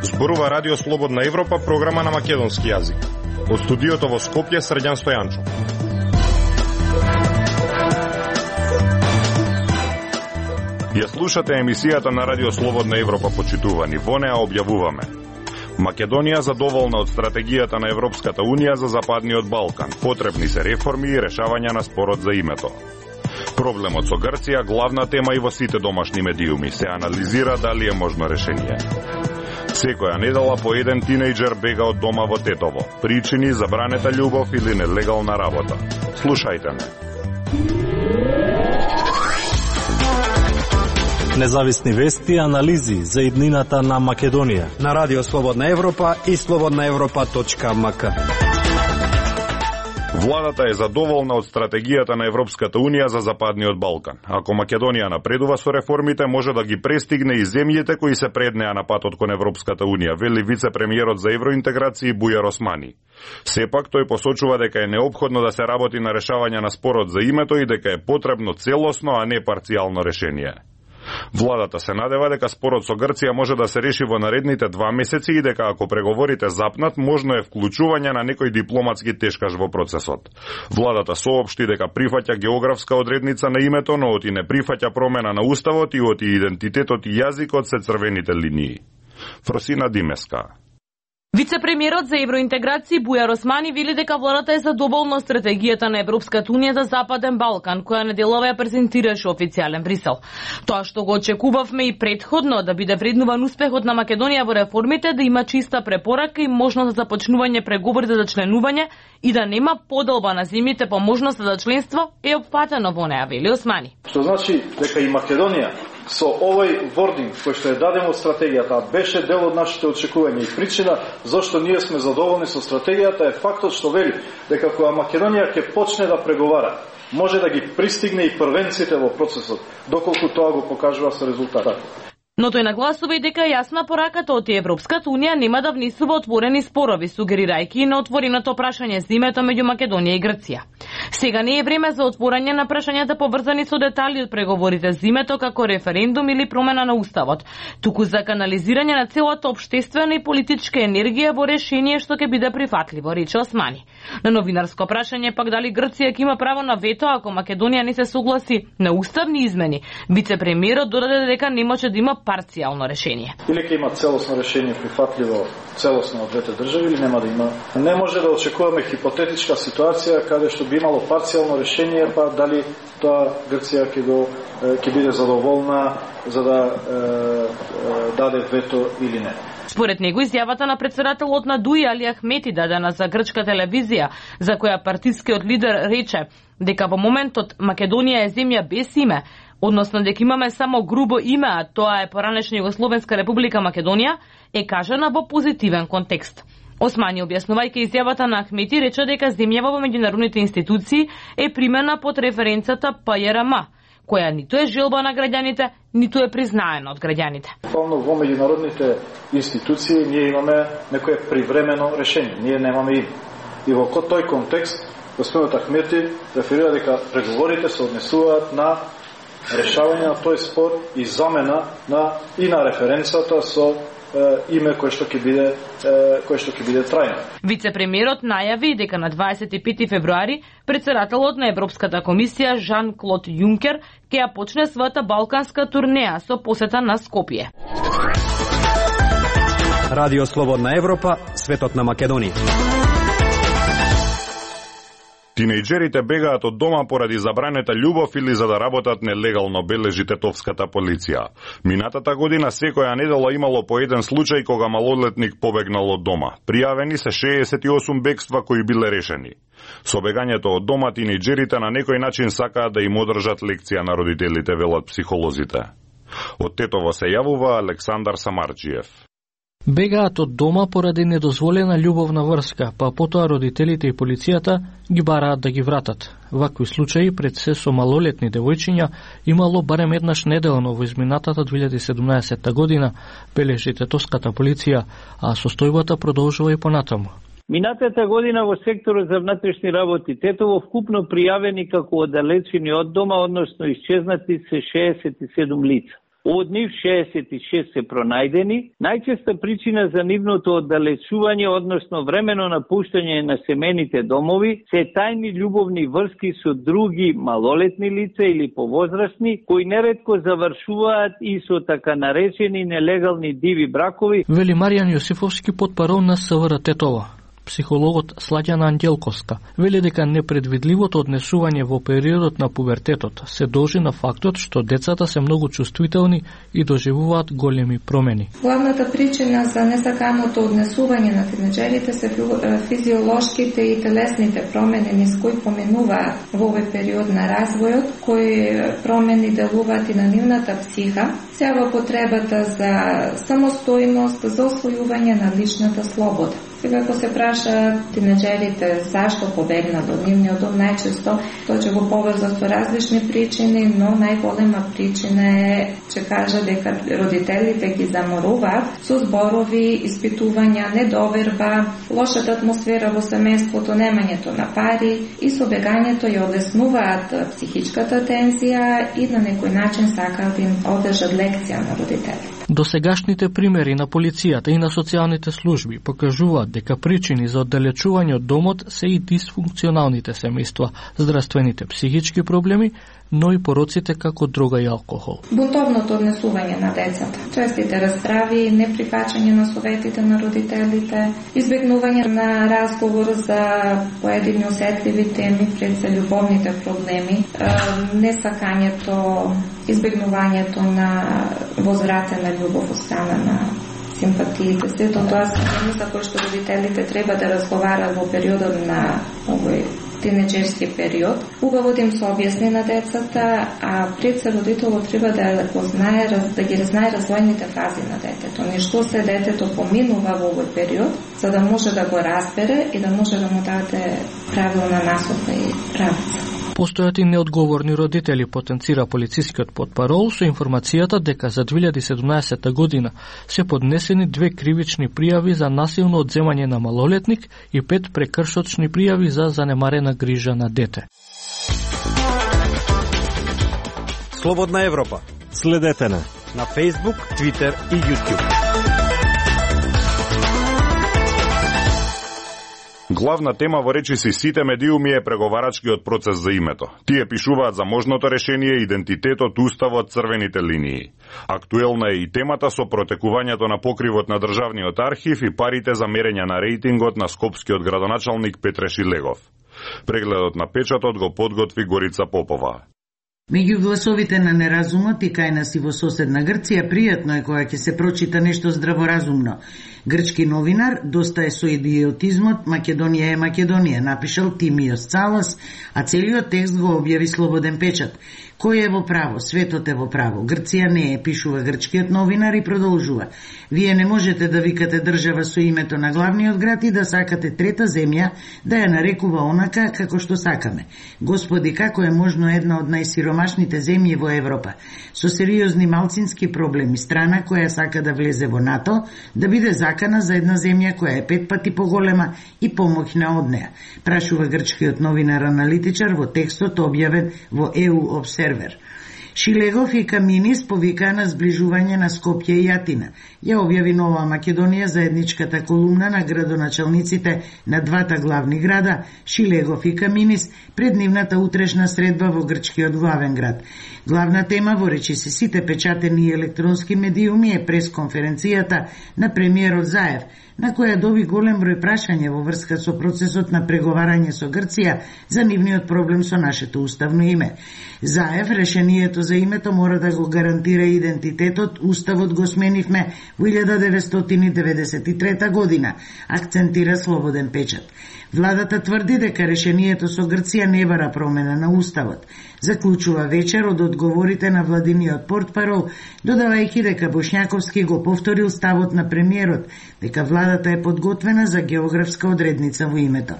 Зборува Радио Слободна Европа, програма на македонски јазик. Од студиото во Скопје, Срđan Стојанчо. Ја слушате емисијата на Радио Слободна Европа, почитувани. Во неа објавуваме: Македонија задоволна од стратегијата на Европската Унија за Западниот Балкан. Потребни се реформи и решавање на спорот за името. Проблемот со Грција главна тема и во сите домашни медиуми. Се анализира дали е можно решение. Секоја недела по еден тинејџер бега од дома во Тетово. Причини, забранета љубов или нелегална работа. Слушајте ме. Независни вести и анализи за иднината на Македонија на Радио Слободна Европа и slobodnaevropa.mk. Владата е задоволна од стратегијата на Европската Унија за Западниот Балкан. Ако Македонија напредува со реформите, може да ги престигне и земјите кои се пред неа на патот кон Европската Унија, вели вице-премиерот за евроинтеграција Бујар Османи. Сепак тој посочува дека е неопходно да се работи на решавање на спорот за името и дека е потребно целосно, а не парцијално решение. Владата се надева дека спорот со Грција може да се реши во наредните 2 месеци и дека ако преговорите запнат, можно е вклучување на некој дипломатски тешкаш во процесот. Владата соопшти дека прифаќа географска одредница на името, но оти не прифаќа промена на уставот и оти идентитетот и јазикот се црвените линии. Фросина Димеска. Вице-премиерот за евроинтеграција Бујар Османи вели дека владата е задоволна стратегијата на Европската Унија за Западен Балкан, која неделова ја презентираше официјален Брисел. Тоа што го очекувавме и претходно, да биде вреднуван успехот на Македонија во реформите, да има чиста препорака и можност за започнување преговорите за членување и да нема поделба на земјите по можноста за членство, е опфатено во неа, вели Османи. Што значи дека и Македонија со овој вординг кој што е даден од стратегијата беше дел од нашите очекувања и причина зашто ние сме задоволни со стратегијата е фактот што вели дека кога Македонија ќе почне да преговара, може да ги пристигне и првенците во процесот, доколку тоа го покажува со резултатот. Но тој нагласува и дека е јасна пораката од Европската Унија нема да внесува отворени спорови, сугерирајќи и на отвореното прашање за името меѓу Македонија и Грција. Сега не е време за отворање на прашањата поврзани со детали од преговорите за името како референдум или промена на уставот, туку за канализирање на целата општествена и политичка енергија во решение што ќе биде прифатливо, рече Османи. На новинарско прашање пак дали Грција ќе има право на вето ако Македонија не се согласи на уставни измени, вице-премиерот додаде дека не може да има парцијално решение. Или ќе има целосно решение прифатливо целосно од двете држави или нема да има. Не може да очекуваме хипотетичка ситуација каде што би имало парцијално решение, па дали тоа Грција ќе биде задоволна за да даде вето или не. Според него изјавата на претседателот на ДУИ Али Ахмети дадена за грчка телевизија, за која партискиот лидер рече дека во моментот Македонија е земја без име, односно дека имаме само грубо име, а тоа е поранешна Југословенска република Македонија, е кажана во позитивен контекст. Османи, објаснувајќи изјавата на Ахмети, рече дека земјава во меѓународните институции е примена под референцата ПЈРМ, која ниту е желба на граѓаните, ниту е признаена од граѓаните. Буквално во меѓународните институции ние имаме некое привремено решение, ние немаме име. И во тој контекст, господинот Ахмети реферира дека преговорите се однесуваат на решавање на тој спор и замена и на референцата со име кој што ќе биде трајно. Вице-премиерот најави дека на 25 февруари претседателот на Европската комисија Жан-Клод Јункер ќе ја почне својата балканска турнеја со посета на Скопје. Радио Слободна Европа, светот на Македонија. Тинејџерите бегаат од дома поради забранета љубов или за да работат нелегално, бележи тетовската полиција. Минатата година секоја недела имало по еден случај кога малолетник побегнал од дома. Пријавени се 68 бегства кои биле решени. Со бегањето од дома тинејџерите на некој начин сакаат да им одржат лекција на родителите, велат психолозите. Од Тетово се јавува Александар Самарджиев. Бегаат од дома поради недозволена љубовна врска, па потоа родителите и полицијата ги бараат да ги вратат. Вакви случаи пред се со малолетни девојчиња имало барем еднаш неделно во изминатата 2017 година, бележи тетовската полиција, а состојбата продолжува и понатаму. Минатата година во секторот за внатрешни работи Тетово вкупно пријавени како оддалечени од дома, односно исчезнати се 67 лица. Од нив 66 се пронајдени. Најчеста причина за нивното оддалечување, односно времено напуштање на семејните домови, се тајни љубовни врски со други малолетни лица или повозрастни, кои неретко завршуваат и со така наречени нелегални диви бракови. Вели Маријан Јосифовски, потпарол на СВР Тетово. Психологот Сладјана Ангелковска вели дека непредвидливото однесување во периодот на пубертетот се должи на фактот што децата се многу чувствителни и доживуваат големи промени. Главната причина за несаканото однесување на тинеџерите се физиолошките и телесните промени низ кои поминуваат во овој период на развојот, кои промени делуваат и на нивната психа, сеава потребата за самостојност, за освојување на личната слобода. Сега, ако се праша тинеџерите зашто побегнат од нивниот дом, најчесто тоа ќе го поврзат со различни причини, но најголема причина е, че кажа дека родителите ги заморуваат со зборови, испитувања, недоверба, лошата атмосфера во семејството, немањето на пари и со бегањето ја одеснуваат психичката тензија и на некој начин сакаат да им одржат лекција на родителите. Досегашните примери на полицијата и на социјалните служби покажуваат дека причини за оддалечување од домот се и дисфункционалните семејства, здравствените психички проблеми, но и пороците како дрога и алкохол. Бунтовното однесување на децата, честите расправи, неприфаќање на советите на родителите, избегнување на разговор за поедини осетливи теми пред за љубовните проблеми, несакањето, избегнувањето на возвратена љубов од страна на симпатиите, сето тоа се теми за кои што родителите треба да разговарат во периодот на овој тинеџерски период. Убаво да им се објасни на децата, а пред се родителот треба да го знае, да ги знае развојните фази на детето. Нешто се детето поминува во овој период, за да може да го разбере и да може да му даде правилна насока и правица. Постојат и неодговорни родители, потенцира полицискиот потпарол со информацијата дека за 2017 година се поднесени 2 кривични пријави за насилно одземање на малолетник и 5 прекршочни пријави за занемарена грижа на дете. Слободна Европа. Следете на Facebook, Twitter и YouTube. Главна тема во речиси сите медиуми е преговарачкиот процес за името. Тие пишуваат за можното решение, идентитетот, уставот, црвените линии. Актуелна е и темата со протекувањето на покривот на државниот архив и парите за мерење на рейтингот на скопскиот градоначалник Петре Шилегов. Прегледот на печатот го подготви Горица Попова. Меѓу гласовите на неразумот и кај нас и во соседна Грција, пријатно е кога ќе се прочита нешто здраворазумно. Грчки новинар доста е со идиотизмот "Македонија е Македонија", напишал Тимиос Цалас, а целиот текст го објави Слободен печат. Кој е во право? Светот е во право. Грција не е, пишува грчкиот новинар и продолжува. Вие не можете да викате држава со името на главниот град и да сакате трета земја да ја нарекува онака како што сакаме. Господи, како е можно една од најсиромашните земји во Европа, со сериозни малцински проблеми, страна која сака да влезе во НАТО, да биде закана за една земја која е 5 пати поголема и помоќна од неа, прашува грчкиот новинар-аналитичар во текстот објавен во EU Observer. Шилегов и Каминис повикаа на сближување на Скопје и Атина. Ја објави Нова Македонија заедничката колумна на градоначалниците на двата главни града, Шилегов и Каминис, пред нивната утрешна средба во грчкиот главен град. Главна тема во речиси сите печатени и електронски медиуми е пресконференцијата на премиерот Заев, на која доби голем број прашања во врска со процесот на преговарање со Грција за нивниот проблем со нашето уставно име. Заев решението за името мора да го гарантира идентитетот, уставот го сменивме во 1993 година, акцентира Слободен печат. Владата тврди дека решението со Грција не бара промена на уставот. Заклучува вечер од одговорите на владиниот портпарол, додавајќи дека Бошњаковски го повторил ставот на премиерот, дека владата е подготвена за географска одредница во името.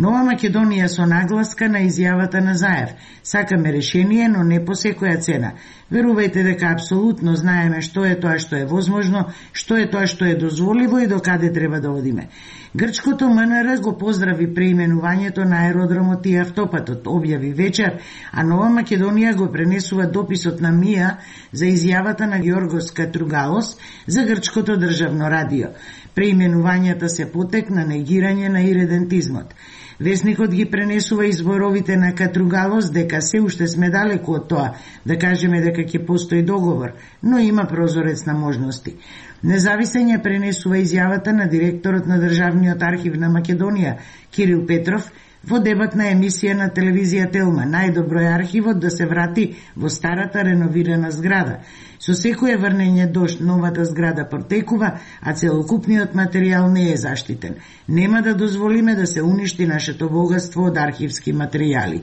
Нова Македонија со нагласка на изјавата на Заев. Сакаме решение, но не по секоја цена. Верувајте дека апсолутно знаеме што е тоа што е возможно, што е тоа што е дозволиво и докаде треба да одиме. Грчкото МНР го поздрави преименувањето на аеродромот и автопатот, објави вечер, а Нова Македонија го пренесува дописот на МИА за изјавата на Георгос Катругалос за грчкото државно радио. Преименувањата се потек на негирање на иредентизмот. Весникот ги пренесува изборовите на Катругалос дека се уште сме далеку од тоа, да кажеме дека ќе постои договор, но има прозорец на можности. Независен ја пренесува изјавата на директорот на Државниот архив на Македонија, Кирил Петров, во дебатна емисија на телевизија Телма. Најдобро е архивот да се врати во старата реновирана зграда. Со секое врнење дожд новата зграда протекува, а целокупниот материјал не е заштитен. Нема да дозволиме да се уништи нашето богатство од архивски материјали.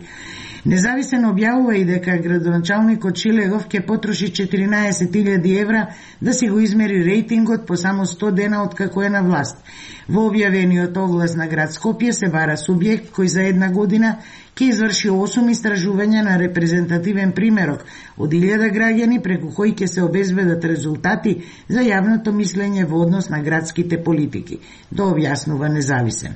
Независен објавува и дека градоначалникот Шилегов ќе потроши 14.000 евра да си го измери рейтингот по само 100 дена од како е на власт. Во објавениот оглас на град Скопје се бара субјект кој за една година ќе изврши 8 истражувања на репрезентативен примерок од 1000 граѓани преку кои ќе се обезбедат резултати за јавното мислење во однос на градските политики. Да објаснува Независен.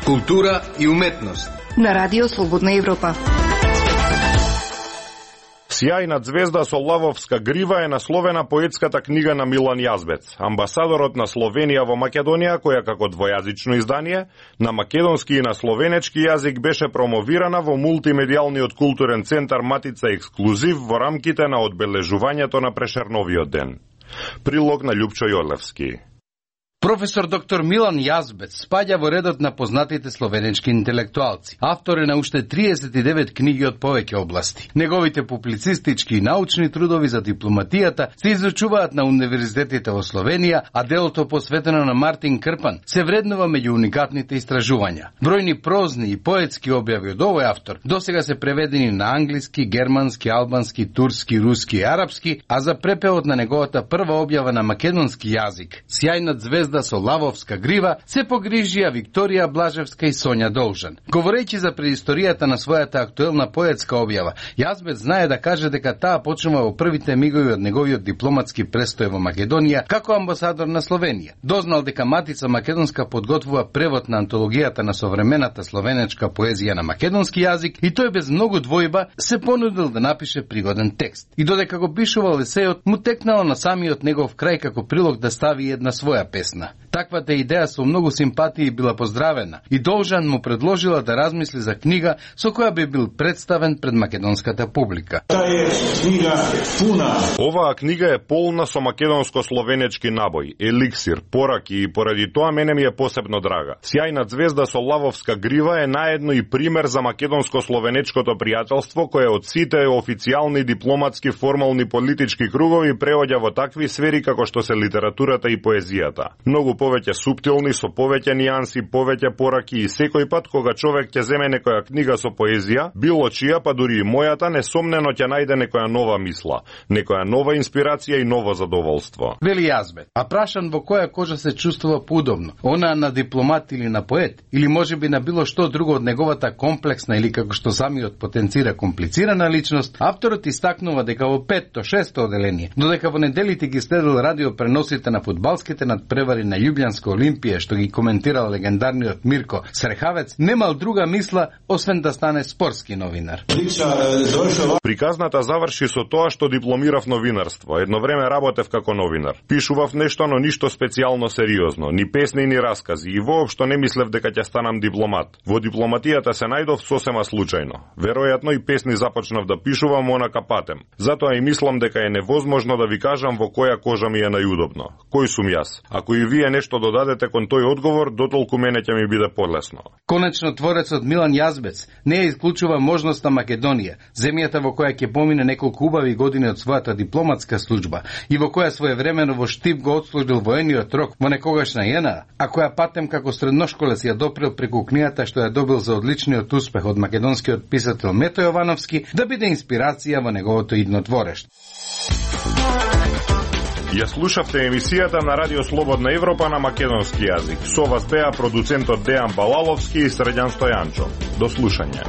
Култура и уметност на Радио Слободна Европа. Сјајна звезда со лавовска грива е насловена поетската книга на Милан Јазбец, амбасадорот на Словенија во Македонија, која како двојазично издание на македонски и на словенечки јазик беше промовирана во мултимедијалниот културен центар Матица Ексклузив во рамките на одбележувањето на Прешерновиот ден. Прилог на Љупчо Јорлевски. Професор доктор Милан Јазбец спаѓа во редот на познатите словенечки интелектуалци. Автор е на уште 39 книги од повеќе области. Неговите публицистички и научни трудови за дипломатијата се изучуваат на универзитетите во Словенија, а делото посветено на Мартин Крпан се вреднува меѓу уникатните истражувања. Бројни прозни и поетски објави од овој автор досега се преведени на англиски, германски, албански, турски, руски и арапски, а за препевод на неговата прва објава на македонски јазик, Сјајна звезда со лавовска грива, се погрижија Викторија Блажевска и Сонја Должан. Говорејќи за преисторијата на својата актуелна поетска објава, Јазбец знае да каже дека таа почнува во првите мигови од неговиот дипломатски престој во Македонија како амбасадор на Словенија. Дознал дека Матица Македонска подготвува превод на антологијата на современата словенечка поезија на македонски јазик и тој без многу двојба се понудил да напише пригоден текст. И додека го пишувал есејот, му текнало на самиот негов крај како прилог да стави една своја песна. Таквата идеја со многу симпатии била поздравена и Должан му предложила да размисли за книга со која би бил представен пред македонската публика. Оваа книга е полна со македонско-словенечки набој, еликсир, пораки и поради тоа мене ми е посебно драга. Сјајна звезда со лавовска грива е наедно и пример за македонско-словенечкото пријателство кое од сите официјални дипломатски формални политички кругови преоѓа во такви сфери како што се литературата и поезијата. Многу повеќе суптилни, со повеќе нијанси, повеќе пораки и секој пат кога човек ќе земе некоја книга со поезија, било чија, па дури и мојата, несомнено ќе најде некоја нова мисла, некоја нова инспирација и ново задоволство. Вели Јазбец, а прашан во која кожа се чувствува поудобно, она на дипломат или на поет, или можеби на било што друго од неговата комплексна или како што самиот потенцира комплицирана личност, авторот истакнува дека во 5-6 оделение, додека во неделите ги следил радиопреносите на фудбалските надпревари на Љубљанска Олимпија, што ги коментирал легендарниот Мирко Срехавец, немал друга мисла освен да стане спортски новинар. Приказната заврши со тоа што дипломирав новинарство. Едно време работев како новинар. Пишував нешто, но ништо специјално сериозно, ни песни, ни раскази, и воопшто не мислев дека ќе станам дипломат. Во дипломатијата се најдов сосема случајно. Веројатно и песни започнав да пишувам онака патем. Затоа и мислам дека е невозможно да ви кажам во која кожа ми е најудобно. Кој сум јас? Ако и вие нешто додадете кон тој одговор, дотолку мене ќе ми биде полесно. Конечно, творецот Милан Јазбец не ја исклучува можноста Македонија, земјата во која ќе помине неколку убави години од својата дипломатска служба и во која своевремено во Штип го отслужил воениот рок во некогашна ЈНА, а која патем како средношколец ја допрел преку книгата што ја добил за одличниот успех од македонскиот писател Мето Јовановски, да биде инспирација во неговото идно творештво. Ја слушавте емисијата на Радио Слободна Европа на македонски јазик. Со вас беа продуцентот Дејан Балаловски и Средјан Стојанчо. До слушање.